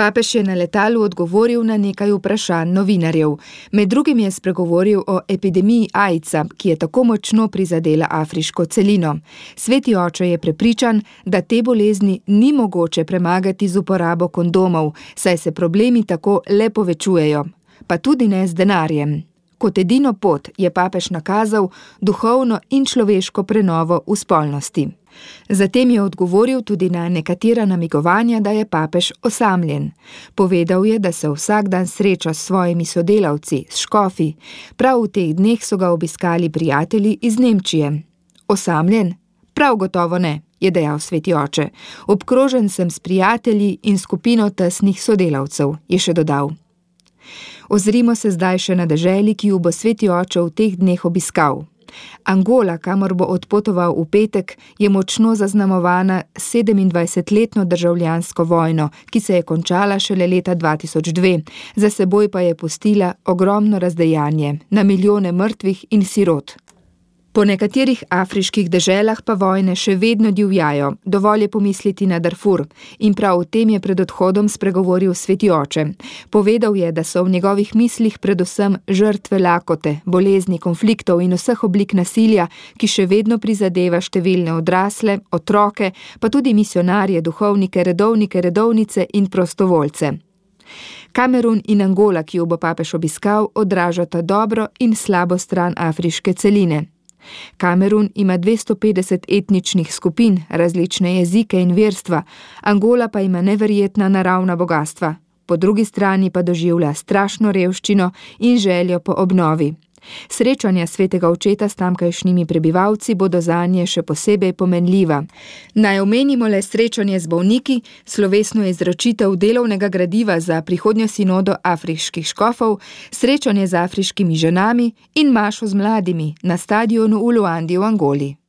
Papež je na letalu odgovoril na nekaj vprašanj novinarjev. Med drugim je spregovoril o epidemiji AIDS-a, ki je tako močno prizadela afriško celino. Sveti oče je prepričan, da te bolezni ni mogoče premagati z uporabo kondomov, saj se problemi tako le povečujejo, pa tudi ne z denarjem. Kot edino pot je papež nakazal duhovno in človeško prenovo v spolnosti. Zatem je odgovoril tudi na nekatera namigovanja, da je papež osamljen. Povedal je, da se vsak dan sreča s svojimi sodelavci, s škofi. Prav v teh dneh so ga obiskali prijatelji iz Nemčije. Osamljen? Prav gotovo ne, je dejal sveti oče. Obkrožen sem s prijatelji in skupino tesnih sodelavcev, je še dodal. Ozrimo se zdaj še na deželi, ki jo bo sveti oče v teh dneh obiskal. Angola, kamor bo odpotoval v petek, je močno zaznamovana 27-letno državljansko vojno, ki se je končala šele leta 2002, za seboj pa je pustila ogromno razdejanje, na milijone mrtvih in sirot. Po nekaterih afriških deželah pa vojne še vedno divjajo, dovolj je pomisliti na Darfur, in prav o tem je pred odhodom spregovoril sveti oče. Povedal je, da so v njegovih mislih predvsem žrtve lakote, bolezni, konfliktov in vseh oblik nasilja, ki še vedno prizadeva številne odrasle, otroke, pa tudi misionarje, duhovnike, redovnice in prostovoljce. Kamerun in Angola, ki jo bo papež obiskal, odražata dobro in slabo stran afriške celine. Kamerun ima 250 etničnih skupin, različne jezike in verstva, Angola pa ima neverjetna naravna bogastva, po drugi strani pa doživlja strašno revščino in željo po obnovi. Srečanja svetega očeta s tamkajšnjimi prebivalci bodo zanje še posebej pomenljiva. Naj omenimo le srečanje z bolniki, slovesno izročitev delovnega gradiva za prihodnjo sinodo afriških škofov, srečanje z afriškimi ženami in mašo z mladimi na stadionu v Luandi v Angoli.